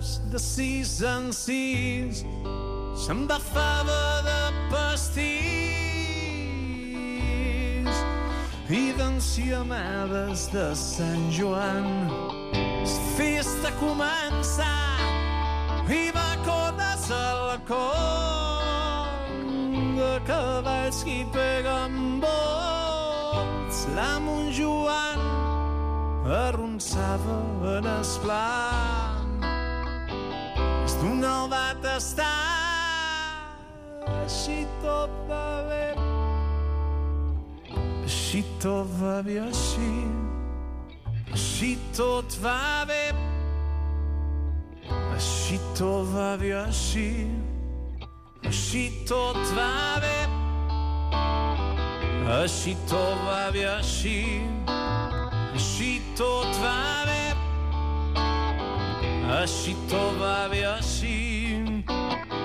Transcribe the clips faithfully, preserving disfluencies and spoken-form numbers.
temps de sis en sis s'embafava de pastís i d'enciamades de Sant Joan. La festa començà i va cones a la con de cavalls que hi peguen volts. La Montjoan arronsava en es blanc. És d'un el va tastar, així tot va bé, així tot va bé, així, així tot va bé, així tot va bé, així, així tot va bé, així tot va bé, així, així tot va bé, així tot va bé, així,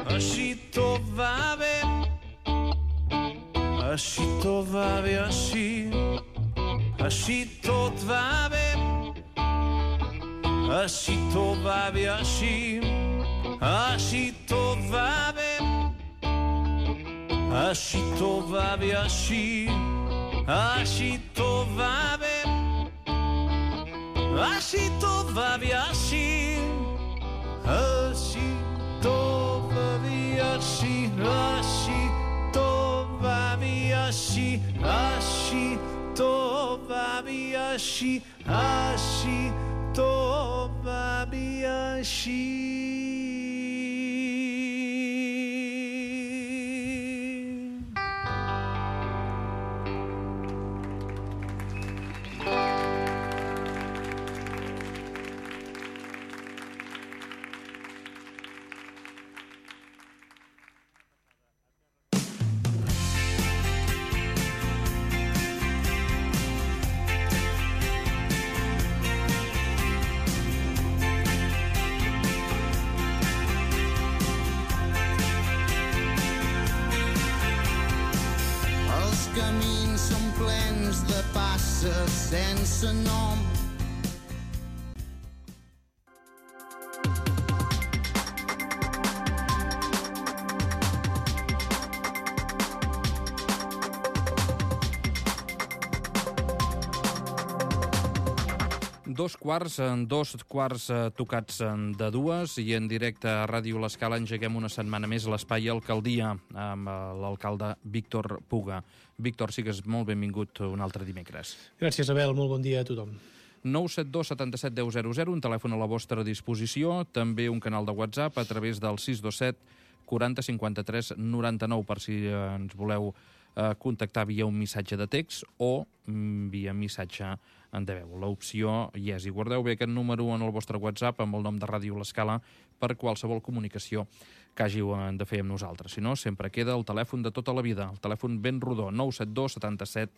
així tot va bé, així tot va bé, així, així tot va bé, així tot va bé, així, així tot va bé, així tot va bé, així, així tot va bé, així tot va bé, així, així tot va bé, així, així tot va bé, així, així tot va bé, així, així tot va bé, així. Sense nom. Dos quarts, dos quarts tocats de dues i en directe a Ràdio L'Escala engeguem una setmana més l'espai Alcaldia amb l'alcalde Víctor Puga. Víctor, sigues molt benvingut un altre dimecres. Gràcies, Abel. Molt bon dia a tothom. nou set dos set set deu zero zero, un telèfon a la vostra disposició, també un canal de WhatsApp a través del sis dos set quaranta cinquanta tres noranta nou per si ens voleu eh, contactar via un missatge de text o mm, via missatge en de veu. L'opció hi és. I guardeu bé aquest número en el vostre WhatsApp amb el nom de Ràdio L'Escala per qualsevol comunicació que hàgiu de fer amb nosaltres. Si no, sempre queda el telèfon de tota la vida, el telèfon ben rodó, nou set dos setanta set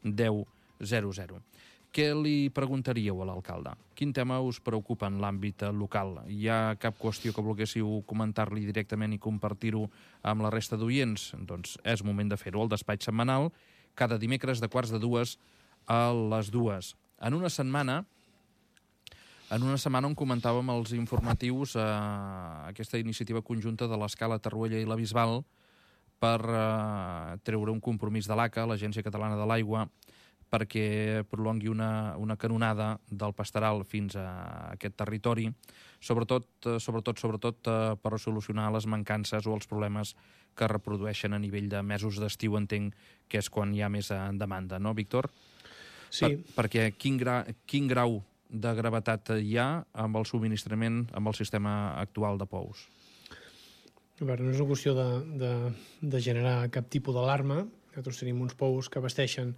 deu zero zero. Què li preguntaríeu a l'alcalde? Quin tema us preocupa en l'àmbit local? Hi ha cap qüestió que volguéssiu comentar-li directament i compartir-ho amb la resta d'oients? Doncs és moment de fer-ho. El despatx setmanal, cada dimecres de quarts de dues a les dues. En una setmana, en una setmana on comentàvem els informatius eh, aquesta iniciativa conjunta de l'Escala, Tarruella i la Bisbal per eh, treure un compromís de l'A C A, l'Agència Catalana de l'Aigua, perquè prolongui una, una canonada del Pastaral fins a aquest territori, sobretot, sobretot, sobretot eh, per solucionar les mancances o els problemes que es reprodueixen a nivell de mesos d'estiu, entenc que és quan hi ha més demanda, no, Víctor? Sí. Per, perquè quin, gra, quin grau de gravetat hi ha amb el subministrament, amb el sistema actual de pous? A veure, no és una qüestió de, de, de generar cap tipus d'alarma. Nosaltres tenim uns pous que abasteixen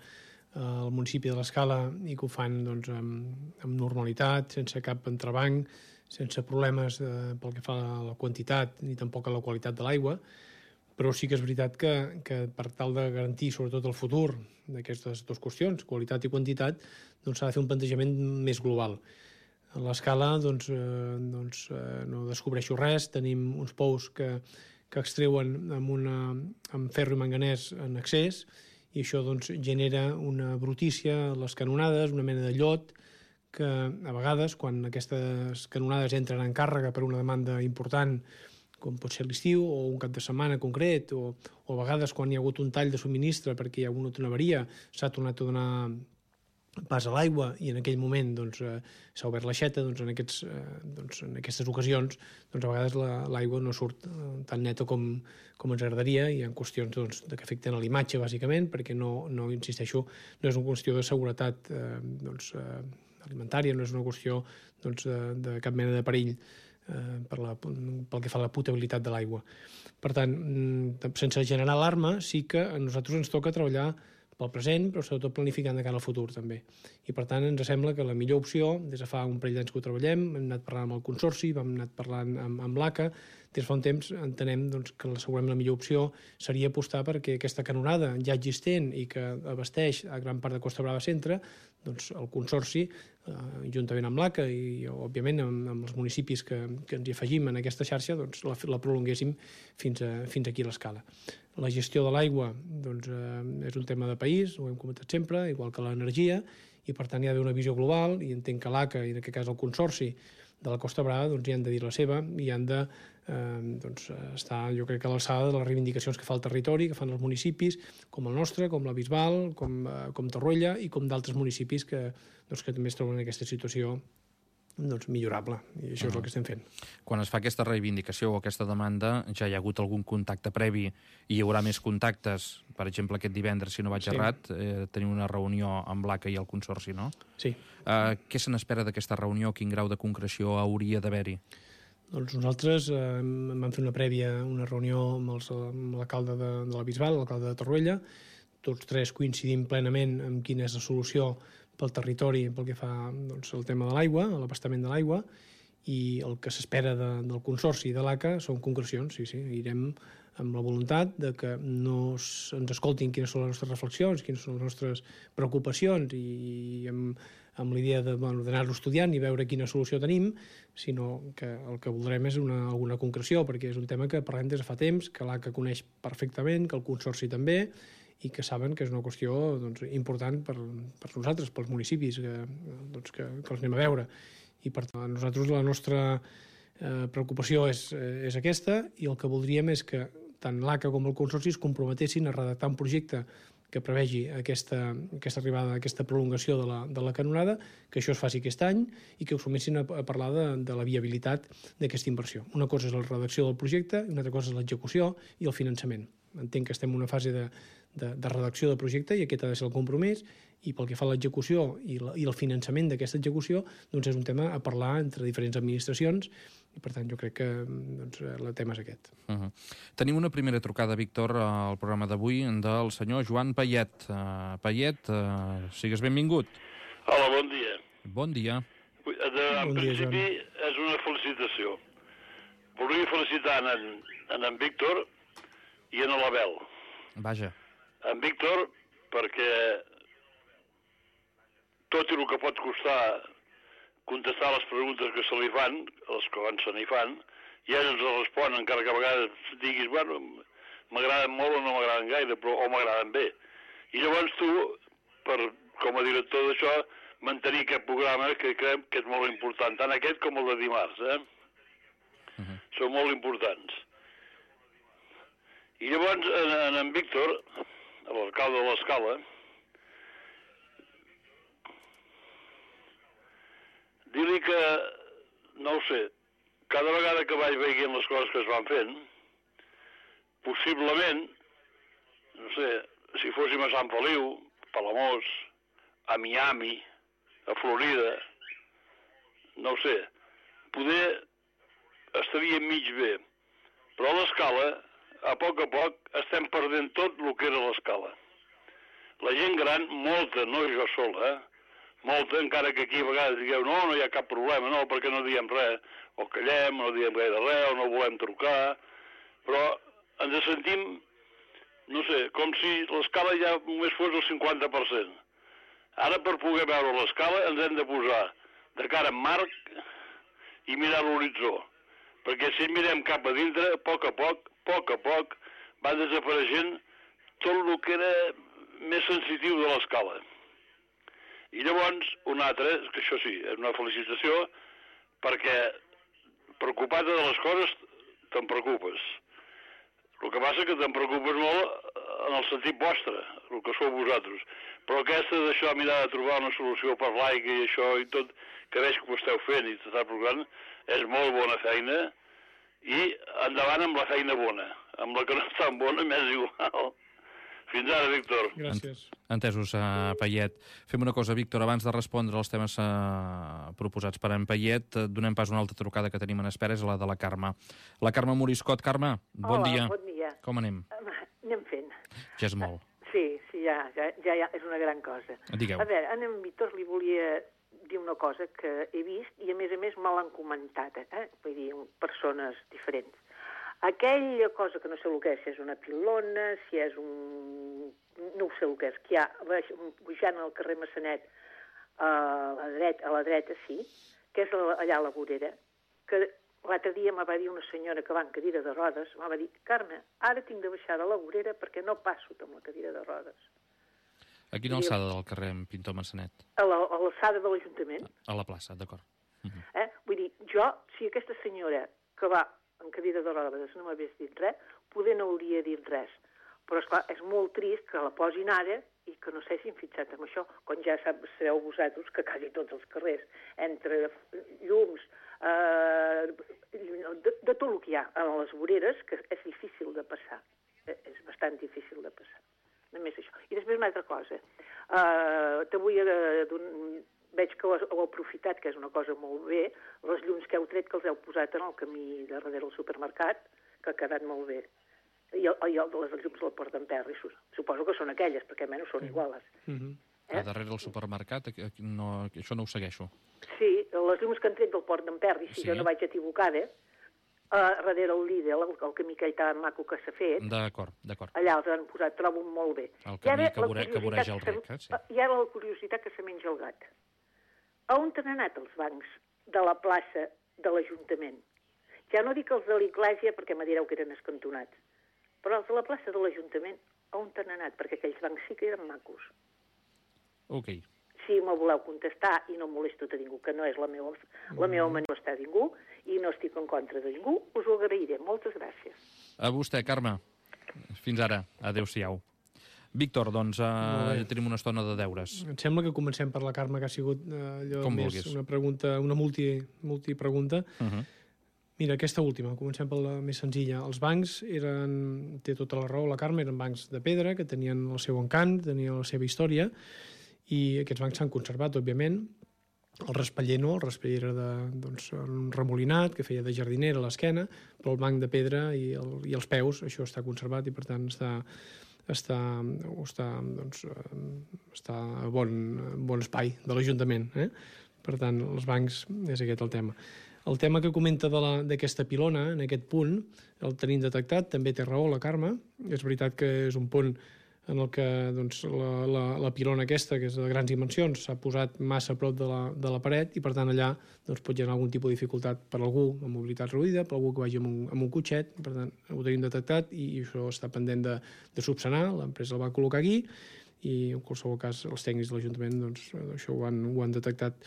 al municipi de l'Escala i que ho fan doncs, amb, amb normalitat, sense cap entrebanc, sense problemes eh, pel que fa a la quantitat ni tampoc a la qualitat de l'aigua, però sí que és veritat que, que per tal de garantir sobretot el futur d'aquestes dues qüestions, qualitat i quantitat, doncs s'ha de fer un plantejament més global. A l'Escala doncs, eh, doncs, eh, no descobreixo res, tenim uns pous que, que extreuen amb, una, amb ferro i manganès en excés, i això doncs, genera una brutícia a les canonades, una mena de llot que a vegades, quan aquestes canonades entren en càrrega per una demanda important, com pot ser l'estiu o un cap de setmana concret, o, o a vegades quan hi ha hagut un tall de subministre perquè hi ha hagut una avaria, s'ha tornat a donar pas a l'aigua i en aquell moment doncs, eh, s'ha obert l'aixeta, doncs, en, aquests, eh, doncs, en aquestes ocasions doncs, a vegades l'aigua la, no surt eh, tan neta com, com ens agradaria. Hi ha qüestions doncs, que afecten a l'imatge, bàsicament, perquè no, no, insisteixo, no és una qüestió de seguretat eh, doncs, eh, alimentària, no és una qüestió doncs, de, de cap mena de perill eh, per la, pel que fa a la potabilitat de l'aigua. Per tant, sense generar alarma, sí que a nosaltres ens toca treballar pel present, però sobretot planificant de cara al futur, també. I, per tant, ens sembla que la millor opció, des de fa un parell d'anys que ho treballem, hem anat parlant amb el Consorci, vam anat parlant amb, amb l'A C A, des de fa un temps entenem doncs, que segurament la millor opció seria apostar perquè aquesta canonada ja existent i que abasteix a gran part de Costa Brava Centre, doncs el Consorci, eh, juntament amb l'A C A i, òbviament, amb, amb els municipis que, que ens hi afegim en aquesta xarxa, doncs la, la prolonguéssim fins, a, fins aquí a l'escala. La gestió de l'aigua doncs, eh, és un tema de país, ho hem comentat sempre, igual que l'energia, i per tant hi ha d'haver una visió global, i entenc que l'A C A, i en aquest cas el Consorci de la Costa Brava, doncs hi han de dir la seva, i han de eh, doncs, estar, jo crec que a l'alçada de les reivindicacions que fa el territori, que fan els municipis, com el nostre, com la Bisbal, com, eh, com Torroella, i com d'altres municipis que, doncs, que també es troben en aquesta situació doncs, millorable, i això és el que estem fent. Quan es fa aquesta reivindicació o aquesta demanda, ja hi ha hagut algun contacte previ i hi haurà més contactes, per exemple, aquest divendres, si no vaig sí. errat, eh, tenim una reunió amb l'A C A i el Consorci, no? Sí. Eh, què se n'espera d'aquesta reunió? Quin grau de concreció hauria d'haver-hi? Doncs nosaltres eh, vam fer una prèvia, una reunió amb, els, amb l'alcalde de, de la Bisbal, l'alcalde de Torroella, tots tres coincidim plenament en quina és la solució pel territori pel que fa doncs, el tema de l'aigua, l'abastament de l'aigua, i el que s'espera de, del Consorci i de l'A C A són concrecions. Sí, sí, irem amb la voluntat de que no ens escoltin quines són les nostres reflexions, quines són les nostres preocupacions, i amb, amb l'idea de, bueno, d'anar-ho estudiant i veure quina solució tenim, sinó que el que voldrem és una, alguna concreció, perquè és un tema que parlem des de fa temps, que l'A C A coneix perfectament, que el Consorci també, i que saben que és una qüestió doncs, important per, per nosaltres, pels municipis, que, doncs, que, que els anem a veure. I per tant, nosaltres la nostra eh, preocupació és, és aquesta, i el que voldríem és que tant l'A C A com el Consorci es comprometessin a redactar un projecte que prevegi aquesta, aquesta arribada, aquesta prolongació de la, de la canonada, que això es faci aquest any i que ho sumessin a, a parlar de, de la viabilitat d'aquesta inversió. Una cosa és la redacció del projecte i una altra cosa és l'execució i el finançament. Entenc que estem en una fase de, de, de redacció del projecte i aquest ha de ser el compromís, i pel que fa a l'execució i, la, i el finançament d'aquesta execució, doncs és un tema a parlar entre diferents administracions, i per tant jo crec que doncs, el tema és aquest. Uh -huh. Tenim una primera trucada, Víctor, al programa d'avui del senyor Joan Payet. Uh, Payet, uh, sigues benvingut. Hola, bon dia. Bon dia. De, en bon dia, principi Joan. és una felicitació. Volia felicitar en, en en Víctor i en l'Abel. Vaja. En Víctor, perquè tot i el que pot costar contestar les preguntes que se li fan, les que abans se n'hi fan, i ell ens respon, encara que a vegades diguis, bueno, m'agraden molt o no m'agraden gaire, però o m'agraden bé. I llavors tu, per, com a director d'això, mantenir aquest programa que creiem que és molt important, tant aquest com el de dimarts, eh? Uh -huh. Són molt importants. I llavors, en, en Víctor, l'alcalde de l'Escala, dir-li que, no ho sé, cada vegada que vaig veient les coses que es van fent, possiblement, no sé, si fóssim a Sant Feliu, Palamós, a Miami, a Florida, no ho sé, poder estaria mig bé, però a l'Escala, a poc a poc, estem perdent tot el que era l'Escala. La gent gran, molta, no jo sola, eh? molta, encara que aquí a vegades digueu no, no hi ha cap problema, no, perquè no diem res, o callem, no diem gaire res, o no volem trucar, però ens sentim, no sé, com si l'Escala ja només fos el cinquanta per cent. Ara, per poder veure l'Escala, ens hem de posar de cara en marc i mirar l'horitzó, perquè si mirem cap a dintre, a poc a poc, a poc a poc, va desapareixent tot el que era més sensitiu de l'Escala. I llavors, un altre, que això sí, és una felicitació, perquè preocupat de les coses te'n preocupes. El que passa que te'n preocupes molt en el sentit vostre, el que sou vosaltres. Però aquesta d'això, mirar de trobar una solució per l'aigua i això i tot, que veig que ho esteu fent i t'està procurant, és molt bona feina i endavant amb la feina bona. Amb la que no és tan bona, m'és igual. Fins ara, Víctor. Gràcies. Entesos, uh, Payet. Fem una cosa, Víctor, abans de respondre als temes uh, proposats per en Payet, uh, donem pas una altra trucada que tenim en espera, és la de la Carme. La Carme Moriscot. Carme, bon Hola, dia. bon dia. Com anem? Anem fent. Ja és molt. Sí, sí, ja, ja, ja, ja és una gran cosa. Digueu. A veure, a en Víctor li volia dir una cosa que he vist i, a més a més, me l'han comentat, eh? Vull dir, persones diferents. Aquella cosa que no sé el que és, si és una pilona, si és un... no ho sé el que és, que hi ha, pujant al carrer Massanet, a la dreta, a la dreta sí, que és allà a la vorera, que l'altre dia me va dir una senyora que va en cadira de rodes, me va dir, Carme, ara tinc de baixar de la vorera perquè no passo amb la cadira de rodes. A quina alçada del carrer en Pintor Massanet? A l'alçada de l'Ajuntament. A la plaça, d'acord. Uh -huh. eh? Vull dir, jo, si aquesta senyora que va en cadira de rodes no m'hagués dit res, poder no hauria dit res. Però, esclar, és molt trist que la posin ara i que no s'hagin fixat en això, quan ja sabeu vosaltres que quasi tots els carrers, entre llums, eh, de, de tot el que hi ha a les voreres, que és difícil de passar. És bastant difícil de passar. Només això. I després una altra cosa. Uh, te vull... Uh, veig que ho heu aprofitat, que és una cosa molt bé, les llums que heu tret, que els heu posat en el camí de darrere del supermercat, que ha quedat molt bé. I, el, i el de les llums del Port d'Emperri, suposo que són aquelles, perquè almenys són iguales. Uh -huh. eh? A darrere del supermercat, no, això no ho segueixo. Sí, les llums que han tret del Port d'Emperri, si sí. jo no vaig equivocada, Uh, darrere el Lidl, el, el camí aquell tan maco que s'ha fet. D'acord, d'acord. Allà els han posat, trobo molt bé. El camí que, vore, que voreja el rec, eh? Sí. I ara la curiositat que se menja el gat. A on han anat els bancs de la plaça de l'Ajuntament? Ja no dic els de l'Iglésia, perquè me direu que eren escantonats, però els de la plaça de l'Ajuntament, a on han anat? Perquè aquells bancs sí que eren macos. Ok. Si me voleu contestar i no molesto a ningú, que no és la meva, la meva manera d'estar a ningú, i no estic en contra de ningú, us ho agrairé. Moltes gràcies. A vostè, Carme. Fins ara. Adéu-siau. Víctor, doncs uh, ja tenim una estona de deures. Em sembla que comencem per la Carme, que ha sigut uh, allò Com més vulguis. una pregunta, una multi, multipregunta. Uh -huh. Mira, aquesta última, comencem per la més senzilla. Els bancs eren, té tota la raó la Carme, eren bancs de pedra, que tenien el seu encant, tenien la seva història, i aquests bancs s'han conservat, òbviament. El raspaller no, el raspaller era de, doncs, un remolinat que feia de jardinera a l'esquena, però el banc de pedra i, el, i els peus, això està conservat i per tant està, està, està, doncs, està a bon, bon espai de l'Ajuntament. Eh? Per tant, els bancs és aquest el tema. El tema que comenta d'aquesta pilona, en aquest punt, el tenim detectat, també té raó la Carme. És veritat que és un punt en el que doncs, la, la, la pilona aquesta, que és de grans dimensions, s'ha posat massa a prop de la, de la paret i, per tant, allà doncs, pot generar algun tipus de dificultat per algú amb mobilitat reduïda, per algú que vagi amb un, amb un cotxet. Per tant, ho tenim detectat i, i això està pendent de, de subsanar. L'empresa el va col·locar aquí i, en qualsevol cas, els tècnics de l'Ajuntament doncs, això ho han, ho han detectat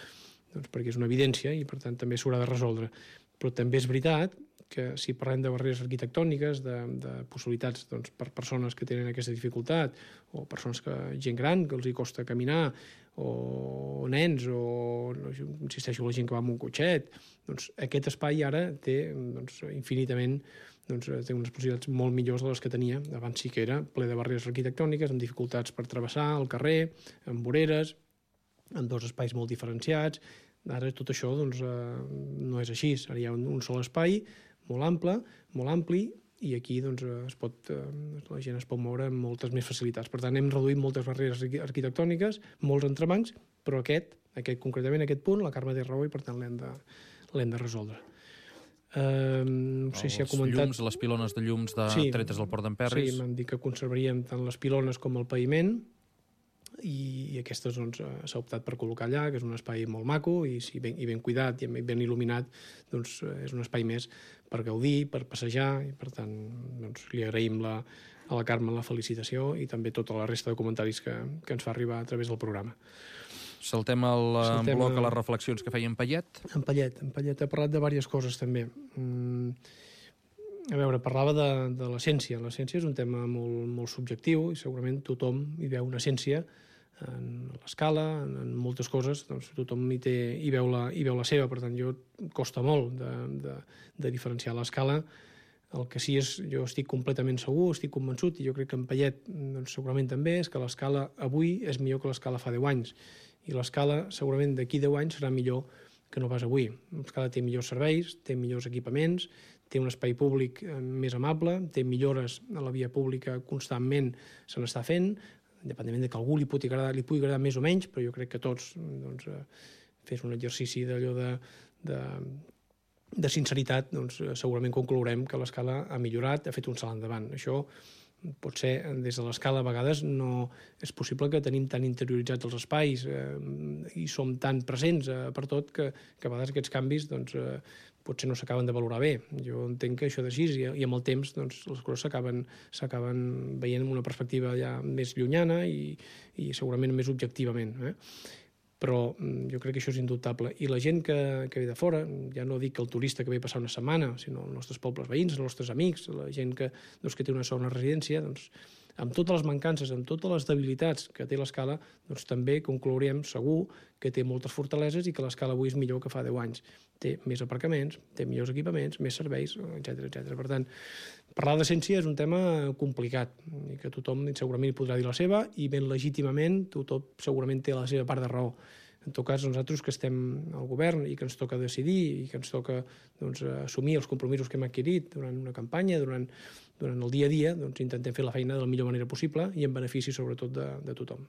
doncs, perquè és una evidència i, per tant, també s'haurà de resoldre. Però també és veritat que si parlem de barreres arquitectòniques, de, de possibilitats doncs, per persones que tenen aquesta dificultat, o persones que, gent gran, que els hi costa caminar, o nens, o, no, insisteixo, la gent que va amb un cotxet, doncs aquest espai ara té doncs, infinitament doncs, té unes possibilitats molt millors de les que tenia. Abans sí que era ple de barreres arquitectòniques, amb dificultats per travessar el carrer, amb voreres, amb dos espais molt diferenciats. Ara tot això doncs, eh, no és així. Ara hi ha un, un sol espai molt ample, molt ampli, i aquí doncs, es pot, eh, la gent es pot moure amb moltes més facilitats. Per tant, hem reduït moltes barreres arquitectòniques, molts entrebancs, però aquest, aquest concretament, aquest punt, la Carme té raó i per tant l'hem de, l'hem de resoldre. Uh, no sé si ha comentat... Llums, les pilones de llums de sí, tretes del Port d'Emperri. Sí, m'han dit que conservaríem tant les pilones com el paviment, i aquestes doncs, s'ha optat per col·locar allà, que és un espai molt maco i, si ben, i ben cuidat i ben il·luminat, doncs és un espai més per gaudir, per passejar, i per tant doncs, li agraïm la, a la Carme la felicitació i també tota la resta de comentaris que, que ens fa arribar a través del programa. Saltem el Saltem bloc a- a les reflexions que feia en Payet. En Payet, en Payet ha parlat de diverses coses també. Mm, a veure, parlava de, de l'essència. L'essència és un tema molt, molt subjectiu i segurament tothom hi veu una essència en l'escala, en, en moltes coses, doncs tothom hi, té, hi, veu la, hi veu la seva, per tant, jo costa molt de, de, de diferenciar l'escala. El que sí és, jo estic completament segur, estic convençut, i jo crec que en Payet doncs, segurament també, és que l'escala avui és millor que l'escala fa deu anys. I l'escala segurament d'aquí deu anys serà millor que no pas avui. L'escala té millors serveis, té millors equipaments, té un espai públic més amable, té millores a la via pública constantment se n'està fent, independentment de que a algú li pugui agradar, li pugui agradar més o menys, però jo crec que tots doncs, fes un exercici d'allò de, de, de sinceritat, doncs, segurament conclourem que l'escala ha millorat, ha fet un salt endavant. Això pot ser, des de l'escala a vegades no és possible que tenim tan interioritzats els espais eh, i som tan presents eh, per tot que, que a vegades aquests canvis doncs, eh, potser no s'acaben de valorar bé. Jo entenc que això és així i, i amb el temps doncs, les coses s'acaben veient amb una perspectiva ja més llunyana i, i segurament més objectivament. Eh? Però jo crec que això és indubtable. I la gent que, que ve de fora, ja no dic el turista que ve passar una setmana, sinó els nostres pobles veïns, els nostres amics, la gent que, doncs, que té una segona residència, doncs, amb totes les mancances, amb totes les debilitats que té l'escala, doncs també conclourem segur que té moltes fortaleses i que l'escala avui és millor que fa deu anys. Té més aparcaments, té millors equipaments, més serveis, etcètera etcètera. Per tant, parlar d'essència és un tema complicat i que tothom segurament hi podrà dir la seva i ben legítimament tothom segurament té la seva part de raó. En tot cas, nosaltres que estem al govern i que ens toca decidir i que ens toca doncs, assumir els compromisos que hem adquirit durant una campanya, durant, durant el dia a dia, doncs, intentem fer la feina de la millor manera possible i en benefici sobretot de, de tothom.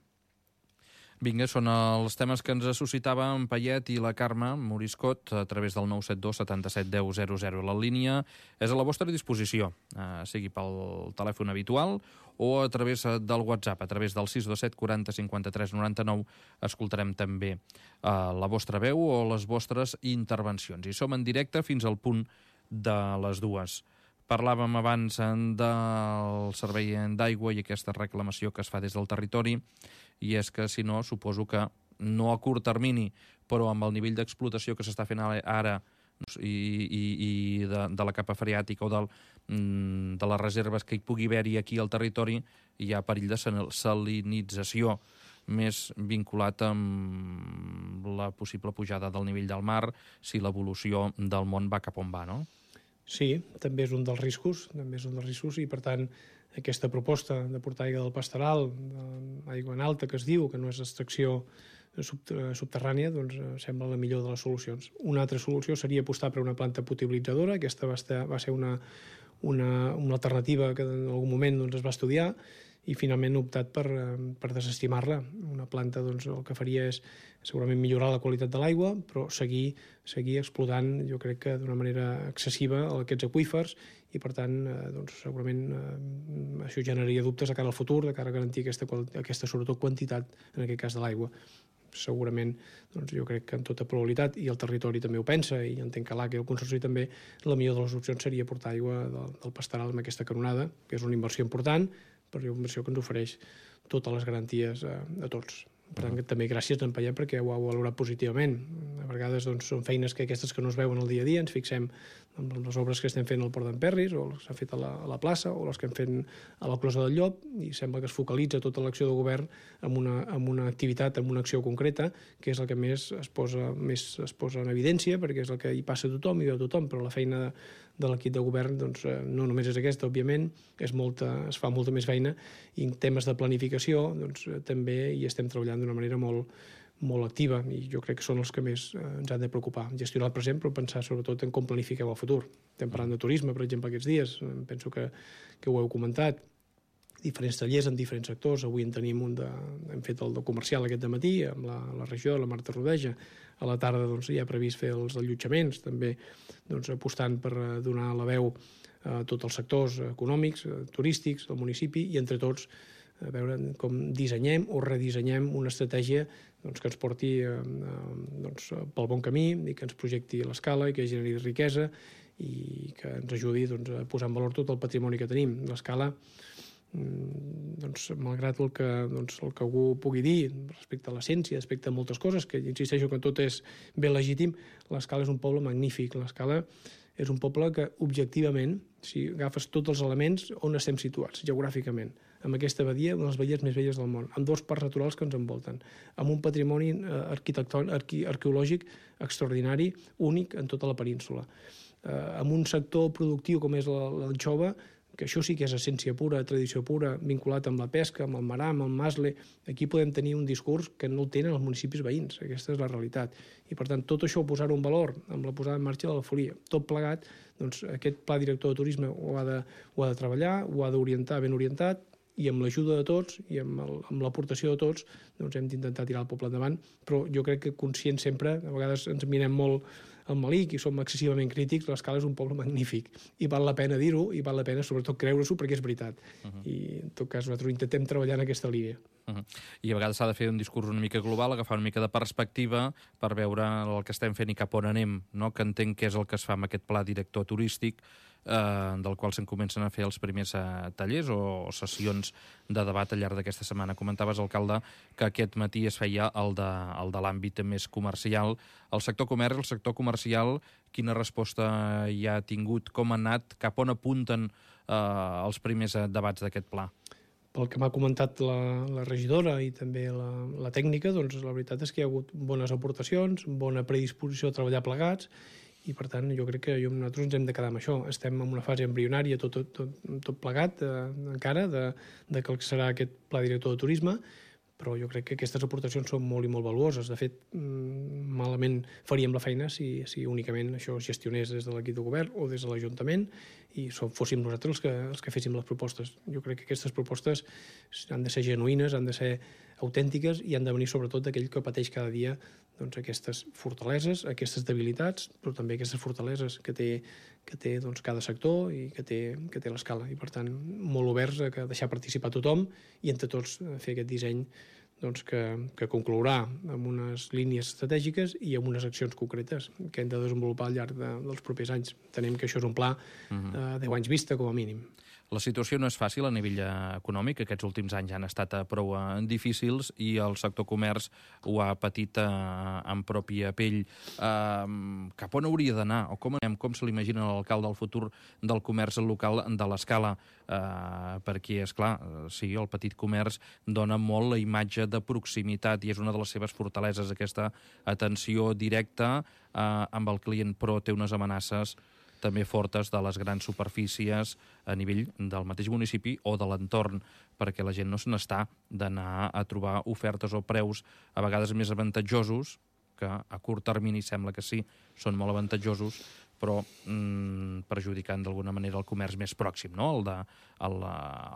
Vinga, són els temes que ens suscitava en Payet i la Carme Moriscot a través del nou set dos setanta-set deu zero zero. La línia és a la vostra disposició, eh, sigui pel telèfon habitual o a través del WhatsApp, a través del sis dos set quaranta cinquanta-tres noranta-nou. Escoltarem també eh, la vostra veu o les vostres intervencions. I som en directe fins al punt de les dues. Parlàvem abans del servei d'aigua i aquesta reclamació que es fa des del territori, i és que, si no, suposo que no a curt termini, però amb el nivell d'explotació que s'està fent ara i, i, i de, de la capa freàtica o del, de les reserves que hi pugui haver-hi aquí al territori, hi ha perill de salinització més vinculat amb la possible pujada del nivell del mar si l'evolució del món va cap on va, no? Sí, també és un dels riscos, també és un dels riscos i, per tant, aquesta proposta de portar aigua del pastoral, aigua en alta, que es diu, que no és extracció subterrània, doncs sembla la millor de les solucions. Una altra solució seria apostar per una planta potabilitzadora. Aquesta va, estar, va ser una, una, una alternativa que en algun moment doncs, es va estudiar i finalment he optat per, per desestimar-la. Una planta doncs, el que faria és segurament millorar la qualitat de l'aigua, però seguir, seguir explotant, jo crec que d'una manera excessiva, aquests aqüífers i, per tant, doncs, segurament eh, això generaria dubtes de cara al futur, de cara a garantir aquesta, aquesta sobretot quantitat, en aquest cas de l'aigua. Segurament, doncs, jo crec que en tota probabilitat, i el territori també ho pensa, i entenc que l'A C I i el Consorci també, la millor de les opcions seria portar aigua del, del pastoral amb aquesta canonada, que és una inversió important, però és una inversió que ens ofereix totes les garanties a, a tots. Per tant, també gràcies a en Payet perquè ho ha valorat positivament. A vegades doncs, són feines que aquestes que no es veuen el dia a dia, ens fixem en les obres que estem fent al Port d'Emperris, o les que s'han fet a la, a la plaça, o les que hem fet a la Closa del Llop, i sembla que es focalitza tota l'acció del govern en una, en una activitat, en una acció concreta, que és el que més es posa, més es posa en evidència, perquè és el que hi passa a tothom, hi veu tothom, però la feina de, de l'equip de govern doncs, no només és aquesta, òbviament, és molta, es fa molta més feina, i en temes de planificació doncs, també hi estem treballant d'una manera molt, molt activa, i jo crec que són els que més eh, ens han de preocupar. Gestionar el present, però pensar sobretot en com planifiquem el futur. Estem parlant de turisme, per exemple, aquests dies, penso que, que ho heu comentat, diferents tallers en diferents sectors. Avui en tenim un de, hem fet el de comercial aquest dematí, amb la, la regió, la Marta Rodeja. A la tarda doncs, ja ha previst fer els allotjaments, també doncs, apostant per donar la veu a tots els sectors econòmics, turístics del municipi, i entre tots a veure com dissenyem o redissenyem una estratègia doncs, que ens porti eh, doncs, pel bon camí i que ens projecti a l'escala i que generi riquesa i que ens ajudi doncs, a posar en valor tot el patrimoni que tenim. L'escala doncs, malgrat el que, doncs, el que algú pugui dir respecte a l'essència, respecte a moltes coses, que insisteixo que tot és ben legítim, l'Escala és un poble magnífic. L'Escala és un poble que, objectivament, si agafes tots els elements, on estem situats geogràficament, amb aquesta badia, una de les badies més belles del món, amb dos parcs naturals que ens envolten, amb un patrimoni arquitectònic, arque, arqueològic extraordinari, únic en tota la península, eh, amb un sector productiu com és l'anxova, que això sí que és essència pura, tradició pura, vinculat amb la pesca, amb el marà, amb el masle. Aquí podem tenir un discurs que no el tenen els municipis veïns. Aquesta és la realitat. I, per tant, tot això, posar-ho en valor, amb la posada en marxa de la folia, tot plegat, doncs aquest pla director de turisme ho ha de, ho ha de treballar, ho ha d'orientar ben orientat, i amb l'ajuda de tots i amb, el, amb l'aportació de tots doncs hem d'intentar tirar el poble endavant, però jo crec que conscient sempre, a vegades ens mirem molt al malic i som excessivament crítics, l'Escala és un poble magnífic i val la pena dir-ho i val la pena sobretot creure-s'ho perquè és veritat. Uh -huh. I en tot cas nosaltres intentem treballar en aquesta línia. Uh -huh. I a vegades s'ha de fer un discurs una mica global, agafar una mica de perspectiva per veure el que estem fent i cap on anem, no? Que entenc que és el que es fa amb aquest pla director turístic, eh, del qual se'n comencen a fer els primers eh, tallers o, o sessions de debat al llarg d'aquesta setmana. Comentaves, alcalde, que aquest matí es feia el de, el de l'àmbit més comercial. El sector comerç, el sector comercial, quina resposta hi ha tingut, com ha anat, cap on apunten eh, els primers debats d'aquest pla? Pel que m'ha comentat la, la regidora i també la, la tècnica, doncs la veritat és que hi ha hagut bones aportacions, bona predisposició a treballar plegats, i per tant jo crec que jo, nosaltres ens hem de quedar amb això. Estem en una fase embrionària tot, tot, tot, tot plegat eh, encara de, de que serà aquest pla director de turisme, però jo crec que aquestes aportacions són molt i molt valuoses. De fet, malament faríem la feina si, si únicament això es gestionés des de l'equip de govern o des de l'Ajuntament i som, fóssim nosaltres els que, els que féssim les propostes. Jo crec que aquestes propostes han de ser genuïnes, han de ser autèntiques i han de venir sobretot d'aquell que pateix cada dia doncs, aquestes fortaleses, aquestes debilitats, però també aquestes fortaleses que té, que té doncs, cada sector i que té, que té l'Escala. I, per tant, molt oberts a deixar participar tothom i entre tots fer aquest disseny doncs, que, que conclourà amb unes línies estratègiques i amb unes accions concretes que hem de desenvolupar al llarg de, dels propers anys. Tenem que això és un pla de deu anys vista, com a mínim. La situació no és fàcil a nivell econòmic. Aquests últims anys han estat prou difícils i el sector comerç ho ha patit en pròpia pell. Cap on hauria d'anar? O com, com se l'imagina l'alcalde del futur del comerç local de l'Escala? Perquè, és clar, sí, el petit comerç dona molt la imatge de proximitat i és una de les seves fortaleses, aquesta atenció directa amb el client, però té unes amenaces també fortes de les grans superfícies a nivell del mateix municipi o de l'entorn, perquè la gent no se n'està d'anar a trobar ofertes o preus a vegades més avantatjosos, que a curt termini sembla que sí, són molt avantatjosos, però mm, perjudicant d'alguna manera el comerç més pròxim, no? el, de, el,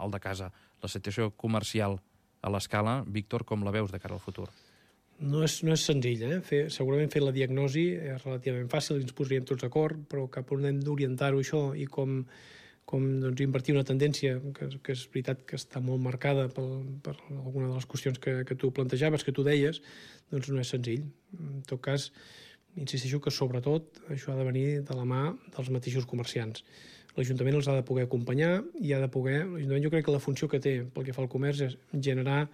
el de casa. La situació comercial a l'Escala, Víctor, com la veus de cara al futur? No és, no és senzill, eh? Fer, segurament fer la diagnosi és relativament fàcil, ens posaríem tots d'acord, però cap on hem d'orientar-ho això i com, com doncs, invertir una tendència que, que és veritat que està molt marcada per, per alguna de les qüestions que, que tu plantejaves, que tu deies, doncs no és senzill. En tot cas, insisteixo que sobretot això ha de venir de la mà dels mateixos comerciants. L'Ajuntament els ha de poder acompanyar i ha de poder... L'Ajuntament jo crec que la funció que té pel que fa al comerç és generar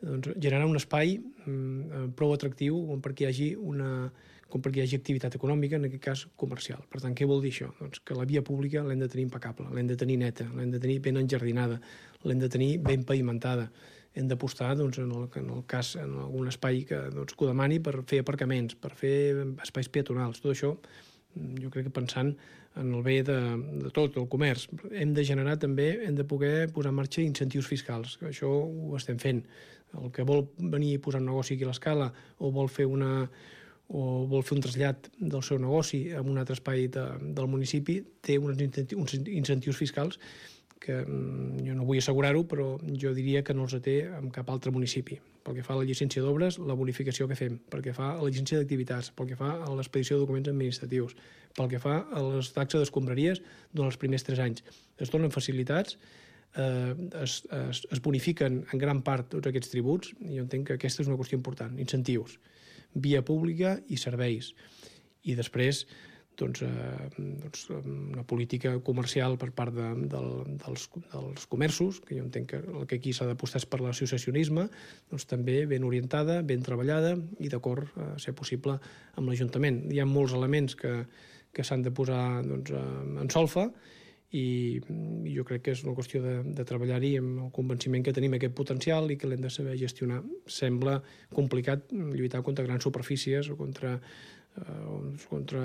doncs, generar un espai mm, prou atractiu com perquè hi hagi una com perquè hi hagi activitat econòmica, en aquest cas comercial. Per tant, què vol dir això? Doncs que la via pública l'hem de tenir impecable, l'hem de tenir neta, l'hem de tenir ben enjardinada, l'hem de tenir ben pavimentada. Hem d'apostar doncs, en, el, en el cas en algun espai que, doncs, que ho demani per fer aparcaments, per fer espais peatonals. Tot això, jo crec que pensant en el bé de, de tot, el comerç. Hem de generar també, hem de poder posar en marxa incentius fiscals. Això ho estem fent. El que vol venir a posar un negoci aquí a l'Escala o vol fer una o vol fer un trasllat del seu negoci en un altre espai de, del municipi té uns incentius, uns incentius fiscals que jo no vull assegurar-ho, però jo diria que no els té en cap altre municipi. Pel que fa a la llicència d'obres, la bonificació que fem, pel que fa a la llicència d'activitats, pel que fa a l'expedició de documents administratius, pel que fa a les taxes d'escombraries durant els primers tres anys. Es donen facilitats, eh, es, es, es bonifiquen en gran part tots aquests tributs, i jo entenc que aquesta és una qüestió important. Incentius, via pública i serveis. I després, doncs, eh, doncs, una política comercial per part de, del, dels, dels comerços, que jo entenc que el que aquí s'ha d'apostar és per l'associacionisme, doncs també ben orientada, ben treballada i d'acord, a ser possible, amb l'Ajuntament. Hi ha molts elements que, que s'han de posar doncs, en solfa, i jo crec que és una qüestió de, de treballar-hi amb el convenciment que tenim aquest potencial i que l'hem de saber gestionar. Sembla complicat lluitar contra grans superfícies o contra, eh, contra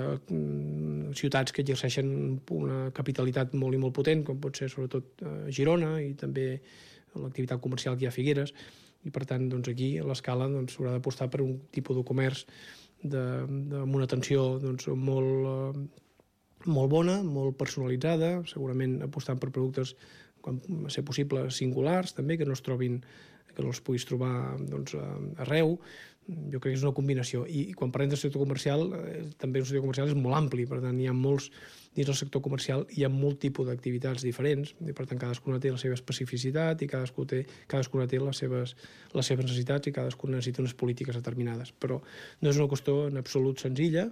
ciutats que exerceixen una capitalitat molt i molt potent, com pot ser sobretot a Girona i també l'activitat comercial que hi ha a Figueres, i per tant doncs, aquí a l'escala doncs, s'haurà d'apostar per un tipus de comerç de, de, amb una atenció doncs, molt... Eh, molt bona, molt personalitzada, segurament apostant per productes, quan ser possible, singulars, també, que no es trobin, que no els puguis trobar doncs, arreu. Jo crec que és una combinació. I, i quan parlem del sector comercial, eh, també el sector comercial és molt ampli, per tant, hi ha molts, dins del sector comercial hi ha molt tipus d'activitats diferents, i per tant, cadascuna té la seva especificitat i cadascú té, cadascuna té les seves, les seves necessitats i cadascuna necessita unes polítiques determinades. Però no és una qüestió en absolut senzilla,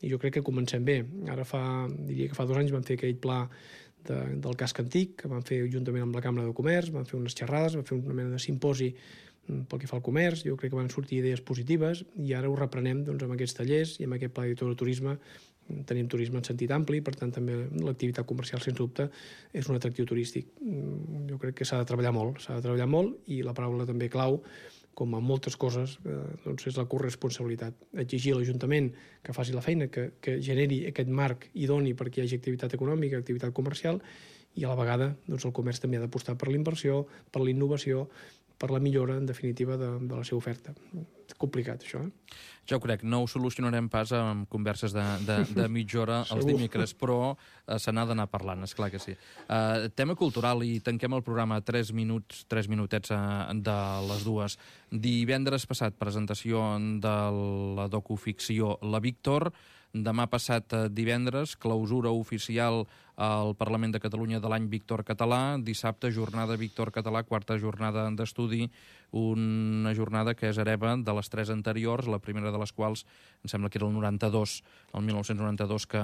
i jo crec que comencem bé. Ara fa, diria que fa dos anys vam fer aquell pla de, del casc antic, que vam fer juntament amb la Cambra de Comerç, vam fer unes xerrades, vam fer una mena de simposi pel que fa al comerç, jo crec que van sortir idees positives, i ara ho reprenem doncs, amb aquests tallers i amb aquest pla director de turisme. Tenim turisme en sentit ampli, per tant també l'activitat comercial, sens dubte, és un atractiu turístic. Jo crec que s'ha de treballar molt, s'ha de treballar molt, i la paraula també clau, com a moltes coses, eh, doncs és la corresponsabilitat. Exigir a l'Ajuntament que faci la feina, que, que generi aquest marc idoni perquè hi hagi activitat econòmica, activitat comercial, i a la vegada doncs, el comerç també ha d'apostar per la inversió, per la innovació, per la millora, en definitiva, de, de la seva oferta. És complicat, això, eh? Ja ho crec, no ho solucionarem pas amb converses de, de, de mitja hora els dimecres, però uh, se n'ha d'anar parlant, esclar que sí. Uh, tema cultural, i tanquem el programa a tres minuts, tres minutets uh, de les dues. Divendres passat, presentació de la docuficció La Víctor. Demà passat divendres, clausura oficial al Parlament de Catalunya de l'any Víctor Català. Dissabte, jornada Víctor Català, quarta jornada d'estudi, una jornada que és hereva de les tres anteriors, la primera de les quals em sembla que era el noranta-dos, el mil nou-cents noranta-dos, que,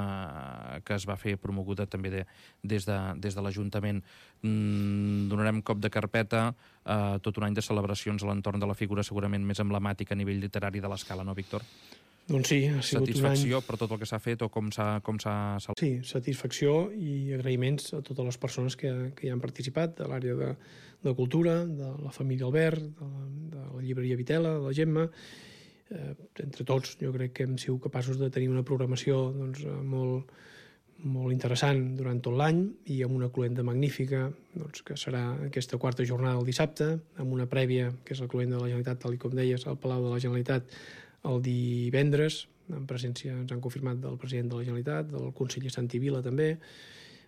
que es va fer promoguda també de, des de, des de l'Ajuntament. Mm, donarem cop de carpeta a tot un any de celebracions a l'entorn de la figura segurament més emblemàtica a nivell literari de l'escala, no, Víctor? Doncs sí, ha sigut satisfacció un any... per tot el que s'ha fet o com s'ha... Com s'ha... Sí, satisfacció i agraïments a totes les persones que, que hi han participat, de l'àrea de, de cultura, de la família Albert, de la, de la llibreria Vitela, de la Gemma. Eh, entre tots, jo crec que hem sigut capaços de tenir una programació doncs, molt, molt interessant durant tot l'any i amb una cluenda magnífica, doncs, que serà aquesta quarta jornada el dissabte, amb una prèvia, que és la cluenda de la Generalitat, tal com deies, al Palau de la Generalitat, el divendres, en presència ens han confirmat del president de la Generalitat, del conseller Santi Vila també,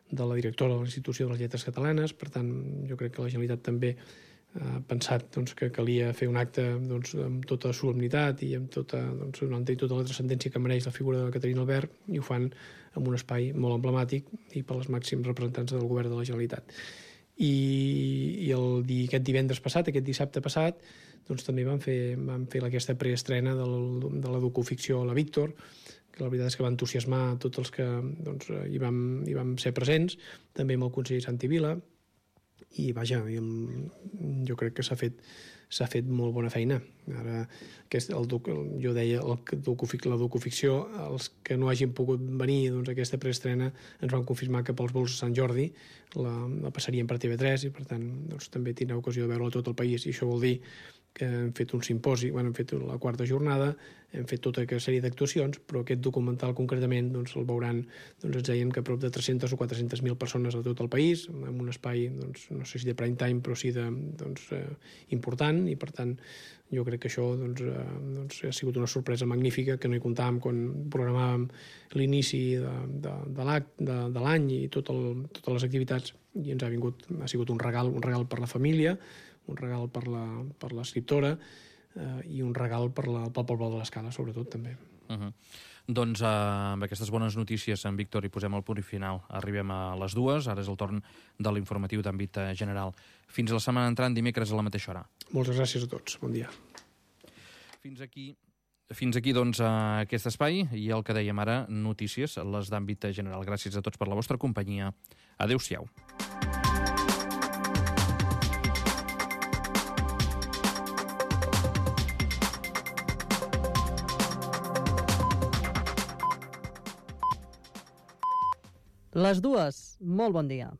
de la directora de l'Institució de les Lletres Catalanes. Per tant, jo crec que la Generalitat també ha pensat doncs, que calia fer un acte doncs, amb tota solemnitat i amb tota, doncs, donant-hi tota la transcendència que mereix la figura de Caterina Albert, i ho fan en un espai molt emblemàtic i per als màxims representants del govern de la Generalitat. I, i el, aquest divendres passat, aquest dissabte passat, doncs també vam fer, vam fer aquesta preestrena de la, de la docuficció La Víctor, que la veritat és que va entusiasmar tots els que doncs, hi, vam, hi vam ser presents, també amb el conseller Santi Vila, i vaja, jo crec que s'ha fet, s'ha fet molt bona feina. Ara, aquest, el, jo deia, el, la docuficció, els que no hagin pogut venir doncs, a aquesta preestrena ens van confirmar que pels vols de Sant Jordi la, la passarien per T V tres i per tant doncs, també tindrà ocasió de veure-la tot el país, i això vol dir que hem fet un simposi, bueno, hem fet la quarta jornada, hem fet tota aquesta sèrie d'actuacions, però aquest documental concretament doncs, el veuran, doncs, ens deien que prop de tres-centes o quatre-centes mil persones a tot el país, en un espai, doncs, no sé si de prime time, però sí de, doncs, eh, important, i per tant jo crec que això doncs, eh, doncs, ha sigut una sorpresa magnífica, que no hi comptàvem quan programàvem l'inici de, de, de l'any i tot el, totes les activitats, i ens ha vingut, ha sigut un regal, un regal per la família, un regal per la, per l'escriptora eh, i un regal per la, pel poble de l'Escala, sobretot, també. Uh -huh. Doncs eh, amb aquestes bones notícies, en Víctor, hi posem el punt i final. Arribem a les dues, ara és el torn de l'informatiu d'àmbit general. Fins a la setmana entrant, dimecres a la mateixa hora. Moltes gràcies a tots, bon dia. Fins aquí Fins aquí, doncs, aquest espai i el que dèiem ara, notícies, les d'àmbit general. Gràcies a tots per la vostra companyia. Adéu-siau. Les dues, molt bon dia.